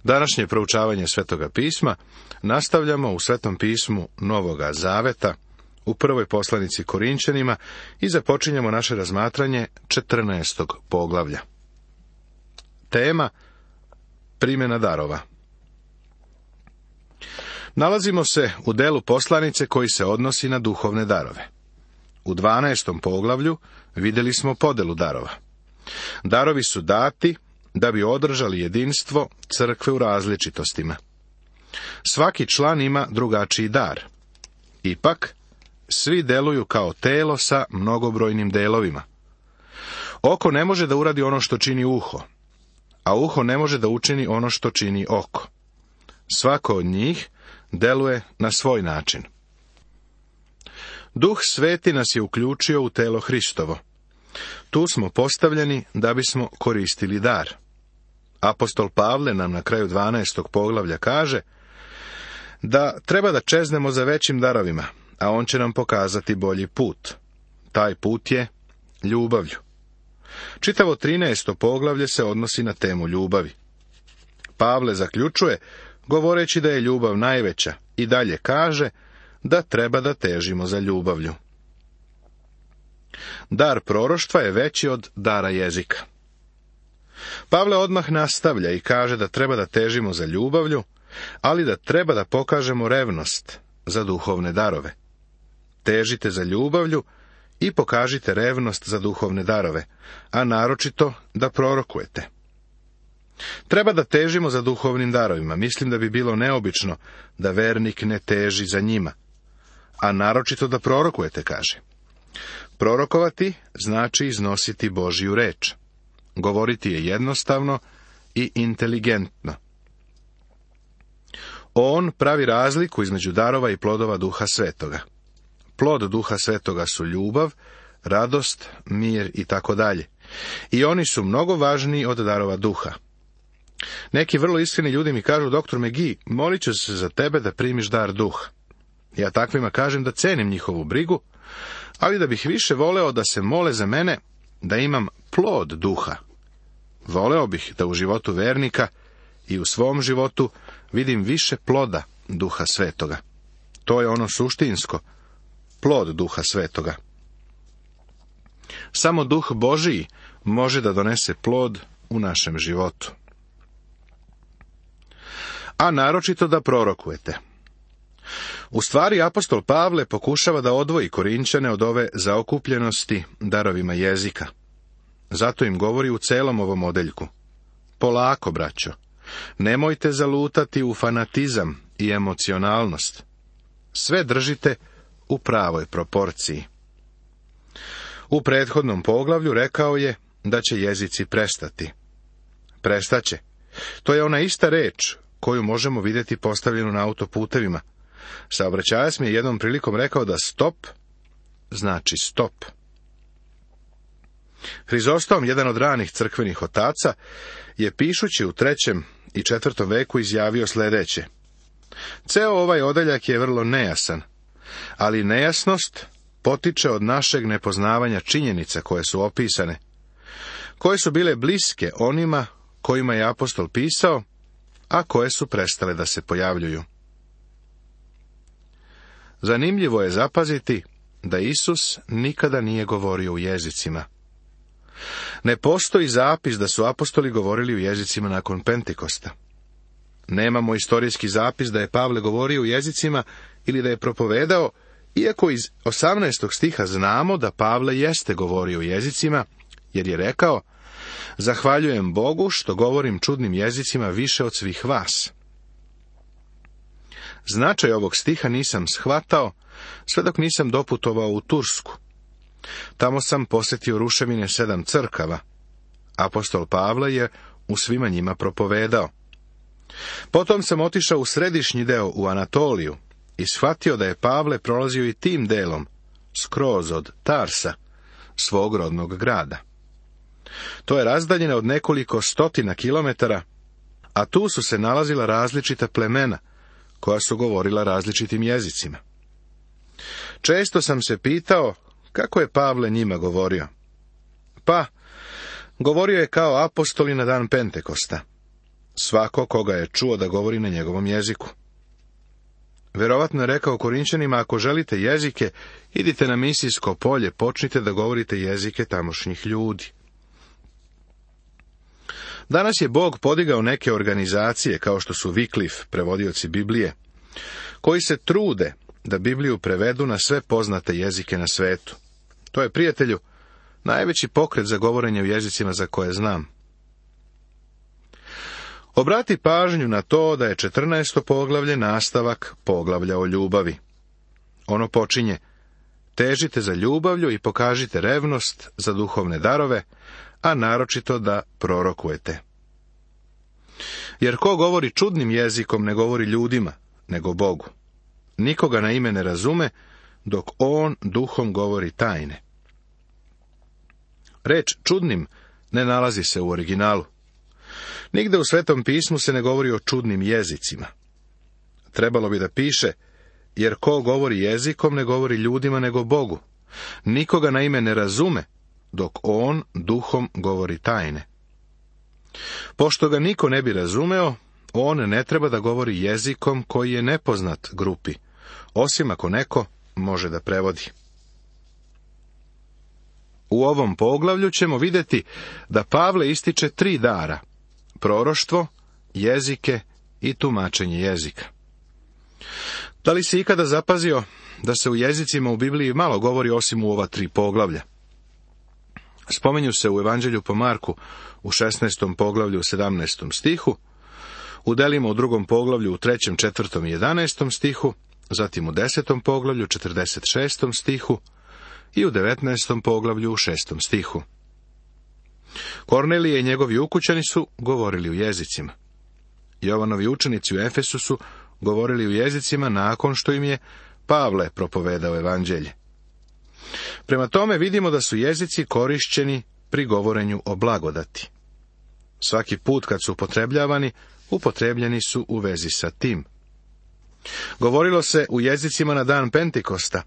Današnje proučavanje Svetoga pisma nastavljamo u Svetom pismu Novoga Zaveta, u prvoj poslanici Korinćanima i započinjemo naše razmatranje 14. poglavlja. Tema: primjena darova. Nalazimo se u delu poslanice koji se odnosi na duhovne darove. U 12. poglavlju vidjeli smo podelu darova. Darovi su dati da bi održali jedinstvo crkve u različitostima. Svaki član ima drugačiji dar. Ipak, svi deluju kao telo sa mnogobrojnim delovima. Oko ne može da uradi ono što čini uho, a uho ne može da učini ono što čini oko. Svako od njih deluje na svoj način. Duh Sveti nas je uključio u telo Hristovo. Tu smo postavljeni da bismo koristili dar. Apostol Pavle nam na kraju 12. poglavlja kaže da treba da čeznemo za većim darovima, a on će nam pokazati bolji put. Taj put je ljubavlju. Čitavo 13. poglavlje se odnosi na temu ljubavi. Pavle zaključuje, govoreći da je ljubav najveća, i dalje kaže da treba da težimo za ljubavlju. Dar proroštva je veći od dara jezika. Pavle odmah nastavlja i kaže da treba da težimo za ljubavlju, ali da treba da pokažemo revnost za duhovne darove. Težite za ljubavlju i pokažite revnost za duhovne darove, a naročito da prorokujete. Treba da težimo za duhovnim darovima. Mislim da bi bilo neobično da vernik ne teži za njima, a naročito da prorokujete, kaže. Prorokovati znači iznositi Božju reč. Govoriti je jednostavno i inteligentno. On pravi razliku između darova i plodova Duha Svetoga. Plod Duha Svetoga su ljubav, radost, mir i tako dalje. I oni su mnogo važniji od darova duha. Neki vrlo iskreni ljudi mi kažu: doktor McGee, molit ću se za tebe da primiš dar duha. Ja takvima kažem da cenim njihovu brigu, ali da bih više voleo da se mole za mene da imam plod duha. Voleo bih da u životu vernika i u svom životu vidim više ploda Duha Svetoga. To je ono suštinsko, plod Duha Svetoga. Samo Duh Božiji može da donese plod u našem životu. A naročito da prorokujete. U stvari, apostol Pavle pokušava da odvoji Korinćane od ove zaokupljenosti darovima jezika. Zato im govori u celom ovom odeljku: polako, braćo, nemojte zalutati u fanatizam i emocionalnost. Sve držite u pravoj proporciji. U prethodnom poglavlju rekao je da će jezici prestati. Prestaće. To je ona ista reč koju možemo vidjeti postavljenu na autoputevima. Saobraćajac mi je jednom prilikom rekao da stop znači stop. Hrizostom, jedan od ranih crkvenih otaca, je pišući u 3. i 4. veku izjavio sljedeće: ceo ovaj odeljak je vrlo nejasan, ali nejasnost potiče od našeg nepoznavanja činjenica koje su opisane, koje su bile bliske onima kojima je apostol pisao, a koje su prestale da se pojavljuju. Zanimljivo je zapaziti da Isus nikada nije govorio u jezicima. Ne postoji zapis da su apostoli govorili u jezicima nakon Pentekosta. Nemamo istorijski zapis da je Pavle govorio u jezicima ili da je propovedao, iako iz 18. stiha znamo da Pavle jeste govorio u jezicima, jer je rekao: zahvaljujem Bogu što govorim čudnim jezicima više od svih vas. Značaj ovog stiha nisam shvatao sve dok nisam doputovao u Tursku. Tamo sam posjetio ruševine 7 crkava. Apostol Pavle je u svima njima propovedao. Potom sam otišao u središnji deo, u Anatoliju, i shvatio da je Pavle prolazio i tim delom, skroz od Tarsa, svog rodnog grada. To je razdaljeno od nekoliko stotina kilometara, a tu su se nalazila različita plemena, koja su govorila različitim jezicima. Često sam se pitao kako je Pavle njima govorio. Pa, govorio je kao apostoli na dan Pentekosta. svako koga je čuo da govori na njegovom jeziku. Verovatno je rekao Korinćanima, ako želite jezike, idite na misijsko polje, počnite da govorite jezike tamošnjih ljudi. Danas je Bog podigao neke organizacije, kao što su Wycliffe, prevodioci Biblije, koji se trude da Bibliju prevedu na sve poznate jezike na svetu. To je, prijatelju, najveći pokret za govorenje u jezicima za koje znam. Obrati pažnju na to da je 14. poglavlje nastavak poglavlja o ljubavi. Ono počinje: težite za ljubavlju i pokažite revnost za duhovne darove, a naročito da prorokujete. Jer ko govori čudnim jezikom ne govori ljudima, nego Bogu. Nikoga na ime ne razume, dok on duhom govori tajne. Reč čudnim ne nalazi se u originalu. Nigde u Svetom pismu se ne govori o čudnim jezicima. Trebalo bi da piše: jer ko govori jezikom ne govori ljudima nego Bogu. Nikoga na ime ne razume, dok on duhom govori tajne. Pošto ga niko ne bi razumeo, on ne treba da govori jezikom koji je nepoznat grupi, osim ako neko može da prevodi. U ovom poglavlju ćemo vidjeti da Pavle ističe 3 dara: proroštvo, jezike i tumačenje jezika. Da li si ikada zapazio da se u jezicima u Bibliji malo govori osim u ova 3 poglavlja? Spominju se u Evanđelju po Marku u 16. poglavlju u 17. stihu, u delima u 2. poglavlju u 3., 4. i 11. stihu, zatim u 10. poglavlju 46. stihu i u 19. poglavlju u 6. stihu. Kornelije i njegovi ukućani su govorili u jezicima. Jovanovi učenici u Efesu su govorili u jezicima nakon što im je Pavle propovedao evanđelje. Prema tome vidimo da su jezici korišćeni pri govorenju o blagodati. Svaki put kad su upotrebljavani, upotrebljeni su u vezi sa tim. Govorilo se u jezicima na dan Pentekosta,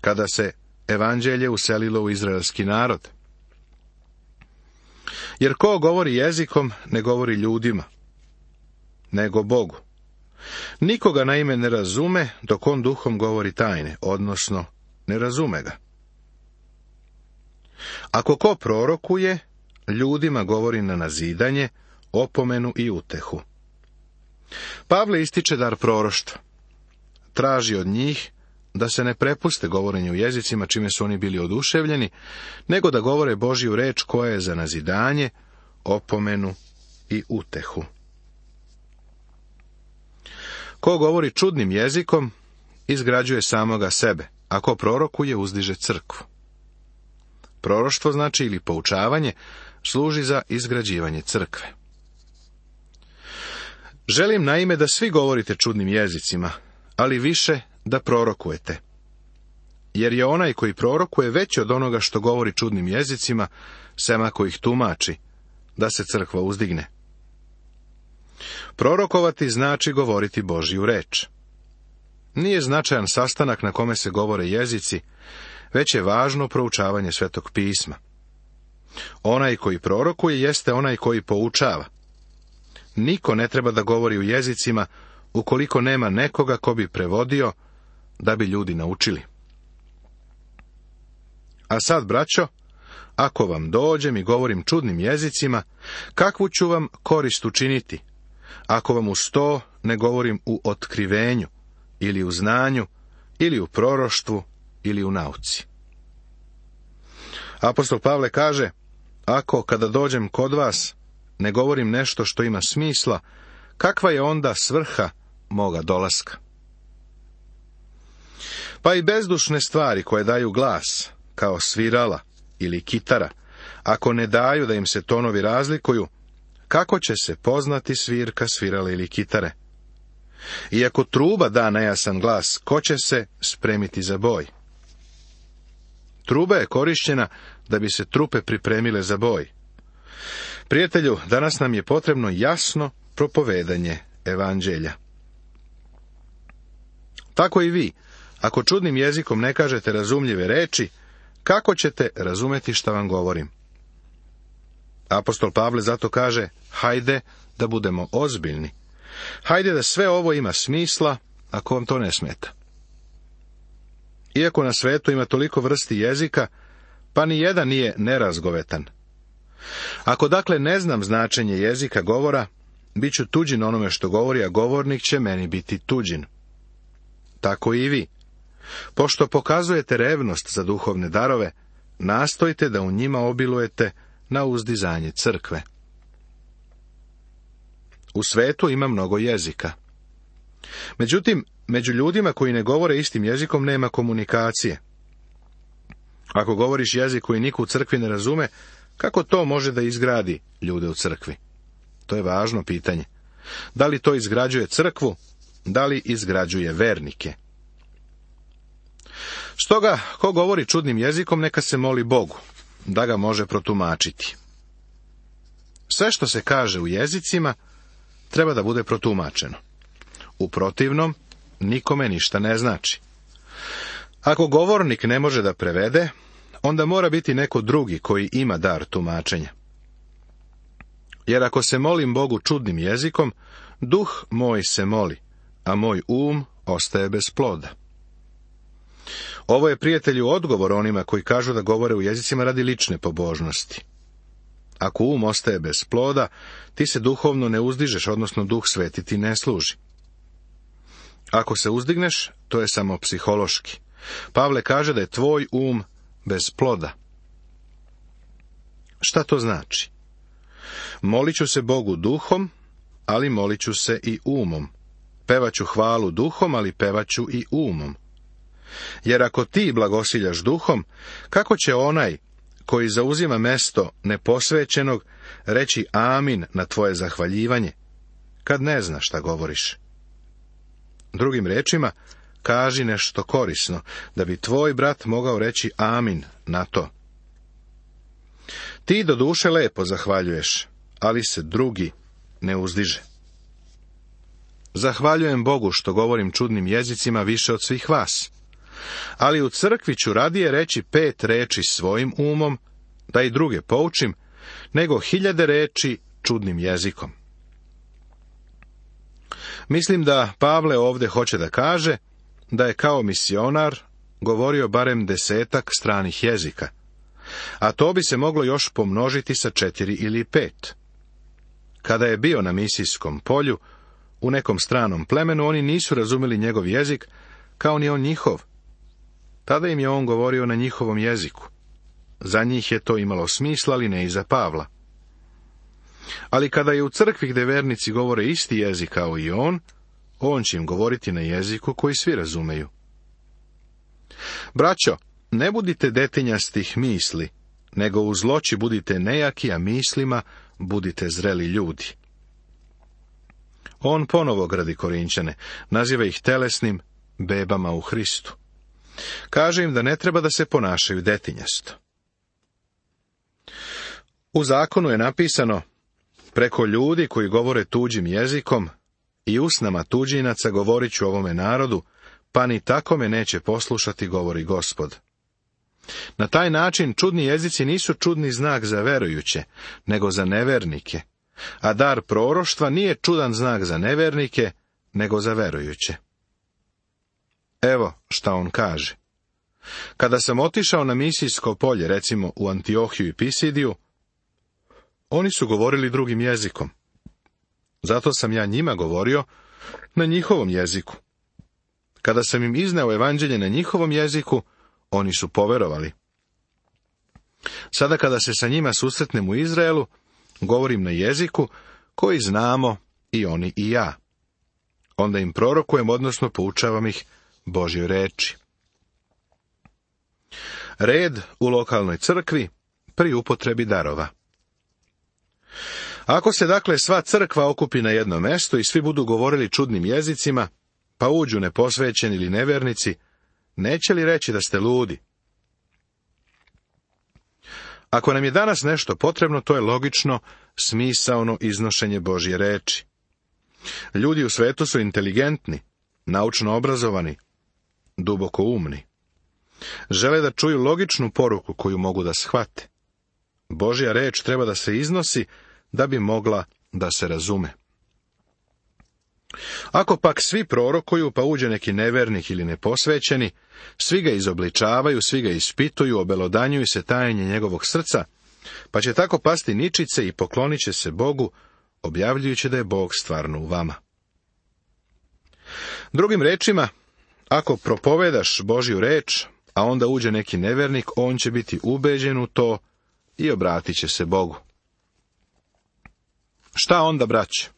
kada se evanđelje uselilo u izraelski narod. Jer ko govori jezikom, ne govori ljudima, nego Bogu. Nikoga na ime ne razume, dok on duhom govori tajne, odnosno ne razume ga. Ako ko prorokuje, ljudima govori na nazidanje, opomenu i utehu. Pavle ističe dar proroštva. Traži od njih da se ne prepuste govorenju u jezicima čime su oni bili oduševljeni, nego da govore Božju reč koja je za nazidanje, opomenu i utehu. Ko govori čudnim jezikom, izgrađuje samoga sebe, a ko prorokuje, uzdiže crkvu. Proroštvo znači ili poučavanje, služi za izgrađivanje crkve. Želim naime da svi govorite čudnim jezicima, ali više da prorokujete. Jer je onaj koji prorokuje veći od onoga što govori čudnim jezicima, sem ako ih tumači, da se crkva uzdigne. Prorokovati znači govoriti Božju reč. Nije značajan sastanak na kome se govore jezici, već je važno proučavanje Svetog pisma. Onaj koji prorokuje jeste onaj koji poučava. Niko ne treba da govori u jezicima ukoliko nema nekoga ko bi prevodio da bi ljudi naučili. A sad, braćo, ako vam dođem i govorim čudnim jezicima, kakvu ću vam korist učiniti, ako vam uz to ne govorim u otkrivenju, ili u znanju, ili u proroštvu, ili u nauci. Apostol Pavle kaže: ako kada dođem kod vas ne govorim nešto što ima smisla, kakva je onda svrha moga dolaska? Pa i bezdušne stvari koje daju glas, kao svirala ili kitara, ako ne daju da im se tonovi razlikuju, kako će se poznati svirka, svirale ili kitare? Iako truba da nejasan glas, ko će se spremiti za boj? Truba je korišćena da bi se trupe pripremile za boj. Prijatelju, danas nam je potrebno jasno propovedanje evanđelja. Tako i vi, ako čudnim jezikom ne kažete razumljive reči, kako ćete razumeti šta vam govorim? Apostol Pavle zato kaže, hajde da budemo ozbiljni. Hajde da sve ovo ima smisla, ako vam to ne smeta. Iako na svetu ima toliko vrsti jezika, pa ni jedan nije nerazgovetan. Ako dakle ne znam značenje jezika govora, bit ću tuđin onome što govori, a govornik će meni biti tuđin. Tako i vi. Pošto pokazujete revnost za duhovne darove, nastojte da u njima obilujete na uzdizanje crkve. U svetu ima mnogo jezika. Međutim, među ljudima koji ne govore istim jezikom nema komunikacije. Ako govoriš jezik koji niko u crkvi ne razume, kako to može da izgradi ljude u crkvi? To je važno pitanje. Da li to izgrađuje crkvu, da li izgrađuje vernike? Stoga, ko govori čudnim jezikom, neka se moli Bogu, da ga može protumačiti. Sve što se kaže u jezicima, treba da bude protumačeno. U protivnom, nikome ništa ne znači. Ako govornik ne može da prevede, onda mora biti neko drugi koji ima dar tumačenja. Jer ako se molim Bogu čudnim jezikom, duh moj se moli, a moj ostaje bez ploda. Ovo je, prijatelju, odgovor onima koji kažu da govore u jezicima radi lične pobožnosti. Ako ostaje bez ploda, ti se duhovno ne uzdižeš, odnosno Duh Sveti ti ne služi. Ako se uzdigneš, to je samo psihološki. Pavle kaže da je tvoj bez ploda. Šta to znači? Molit ću se Bogu duhom, ali molit ću se i umom. Pevaću hvalu duhom, ali pevaću i umom. Jer ako ti blagosiljaš duhom, kako će onaj koji zauzima mesto neposvećenog reći amin na tvoje zahvaljivanje, kad ne zna šta govoriš? Drugim rečima, kaži nešto korisno, da bi tvoj brat mogao reći amin na to. Ti do duše lepo zahvaljuješ, ali se drugi ne uzdiže. Zahvaljujem Bogu što govorim čudnim jezicima više od svih vas, ali u crkvi ću radije reći 5 reči svojim umom, da i druge poučim, nego 1000 reči čudnim jezikom. Mislim da Pavle ovdje hoće da kaže da je kao misionar govorio barem 10 stranih jezika, a to bi se moglo još pomnožiti sa 4 ili 5. Kada je bio na misijskom polju, u nekom stranom plemenu, oni nisu razumeli njegov jezik, kao ni on njihov. Tada im je on govorio na njihovom jeziku. Za njih je to imalo smisla, ali ne i za Pavla. Ali kada je u crkvi gde vernici govore isti jezik kao i on će im govoriti na jeziku koji svi razumeju. Braćo, ne budite detinjastih misli, nego u zloći budite nejaki, a mislima budite zreli ljudi. On ponovo gradi Korinćane, naziva ih telesnim bebama u Hristu. Kaže im da ne treba da se ponašaju detinjasto. U zakonu je napisano, preko ljudi koji govore tuđim jezikom i usnama tuđinaca govorit ću ovome narodu, pa ni tako me neće poslušati, govori Gospod. Na taj način čudni jezici nisu čudni znak za verujuće, nego za nevernike, a dar proroštva nije čudan znak za nevernike, nego za verujuće. Evo šta on kaže. Kada sam otišao na misijsko polje, recimo u Antiohiju i Pisidiju, oni su govorili drugim jezikom. Zato sam ja njima govorio na njihovom jeziku. Kada sam im izneo evanđelje na njihovom jeziku, oni su poverovali. Sada kada se sa njima susretnem u Izraelu, govorim na jeziku koji znamo i oni i ja. Onda im prorokujem, odnosno poučavam ih Božjoj reči. Red u lokalnoj crkvi pri upotrebi darova. Ako se dakle sva crkva okupi na jedno mesto i svi budu govorili čudnim jezicima, pa uđu neposvećeni ili nevernici, neće li reći da ste ludi? Ako nam je danas nešto potrebno, to je logično, smisaono iznošenje Božje reči. Ljudi u svetu su inteligentni, naučno obrazovani, duboko umni. Žele da čuju logičnu poruku koju mogu da shvate. Božja reč treba da se iznosi da bi mogla da se razume. Ako pak svi prorokuju, pa uđe neki nevernik ili neposvećeni, svi ga izobličavaju, svi ga ispituju, obelodanjuju se tajenje njegovog srca, pa će tako pasti ničice i poklonit će se Bogu, objavljujući da je Bog stvarno u vama. Drugim rečima, ako propovedaš Božju reč, a onda uđe neki nevernik, on će biti ubeđen u to i obratit će se Bogu. Šta onda, braće?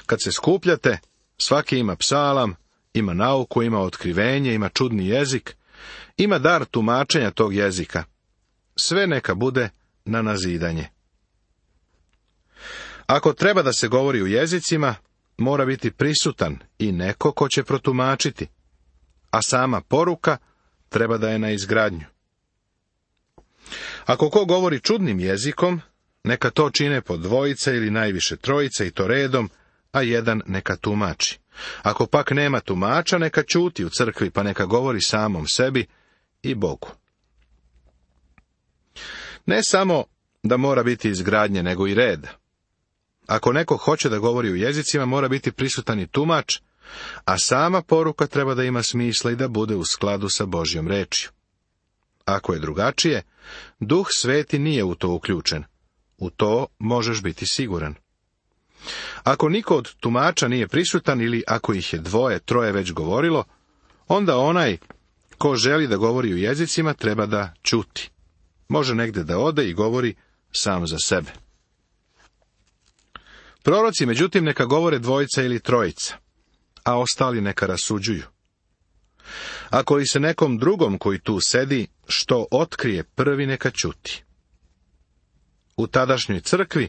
Kad se skupljate, svaki ima psalam, ima nauku, ima otkrivenje, ima čudni jezik, ima dar tumačenja tog jezika. Sve neka bude na nazidanje. Ako treba da se govori u jezicima, mora biti prisutan i neko ko će protumačiti, a sama poruka treba da je na izgradnju. Ako ko govori čudnim jezikom, neka to čine po dvojica ili najviše trojica i to redom, a jedan neka tumači. Ako pak nema tumača, neka ćuti u crkvi, pa neka govori samom sebi i Bogu. Ne samo da mora biti izgradnje, nego i red. Ako neko hoće da govori u jezicima, mora biti prisutan i tumač, a sama poruka treba da ima smisla i da bude u skladu sa Božjom rečju. Ako je drugačije, Duh Sveti nije u to uključen. U to možeš biti siguran. Ako niko od tumača nije prisutan ili ako ih je dvoje, troje već govorilo, onda onaj ko želi da govori u jezicima treba da ćuti. Može negde da ode i govori sam za sebe. Proroci, međutim, neka govore dvojica ili trojica, a ostali neka rasuđuju. Ako li se nekom drugom koji tu sedi, što otkrije prvi, neka ćuti. U tadašnjoj crkvi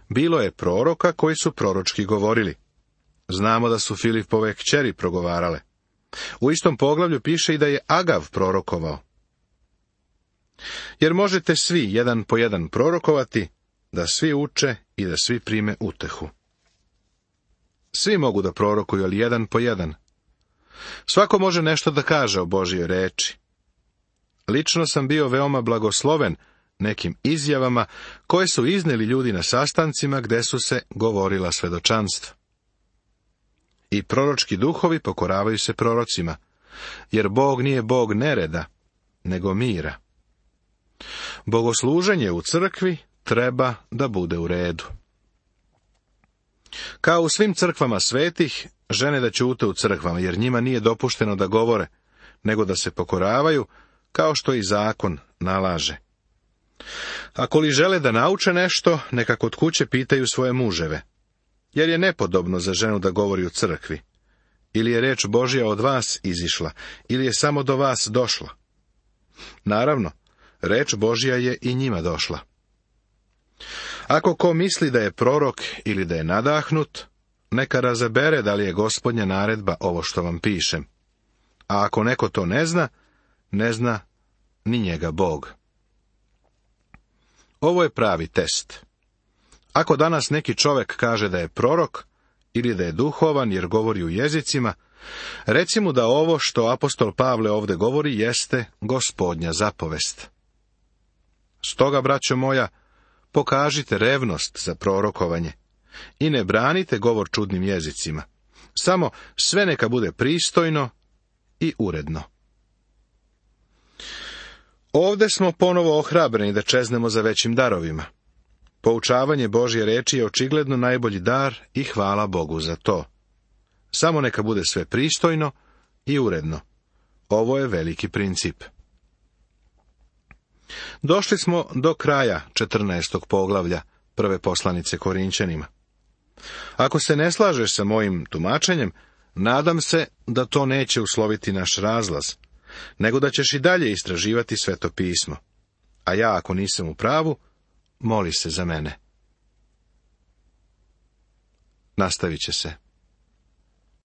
bilo je proroka koji su proročki govorili. Znamo da su Filipove kćeri progovarale. U istom poglavlju piše i da je Agav prorokovao. Jer možete svi jedan po jedan prorokovati, da svi uče i da svi prime utehu. Svi mogu da prorokuju, ali jedan po jedan. Svako može nešto da kaže o Božjoj reči. Lično sam bio veoma blagosloven nekim izjavama koje su izneli ljudi na sastancima gde su se govorila svedočanstva. I proročki duhovi pokoravaju se prorocima, jer Bog nije Bog nereda, nego mira. Bogosluženje u crkvi treba da bude u redu. Kao u svim crkvama svetih, žene da ćute u crkvama, jer njima nije dopušteno da govore, nego da se pokoravaju, kao što i zakon nalaže. Ako li žele da nauče nešto, neka kod kuće pitaju svoje muževe, jer je nepodobno za ženu da govori u crkvi. Ili je reč Božja od vas izišla, ili je samo do vas došla. Naravno, reč Božja je i njima došla. Ako ko misli da je prorok ili da je nadahnut, neka razabere da li je Gospodnja naredba ovo što vam pišem. A ako neko to ne zna ni njega Bog. Ovo je pravi test. Ako danas neki čovek kaže da je prorok ili da je duhovan jer govori u jezicima, reci mu da ovo što apostol Pavle ovde govori jeste Gospodnja zapovest. Stoga, braćo moja, pokažite revnost za prorokovanje i ne branite govor čudnim jezicima. Samo sve neka bude pristojno i uredno. Ovde smo ponovo ohrabreni da čeznemo za većim darovima. Poučavanje Božje reči je očigledno najbolji dar i hvala Bogu za to. Samo neka bude sve pristojno i uredno. Ovo je veliki princip. Došli smo do kraja 14. poglavlja prve poslanice Korinćanima. Ako se ne slažeš sa mojim tumačenjem, nadam se da to neće usloviti naš razlaz, nego da ćeš i dalje istraživati Sveto pismo. A ja, ako nisam u pravu, moli se za mene. Nastavit će se.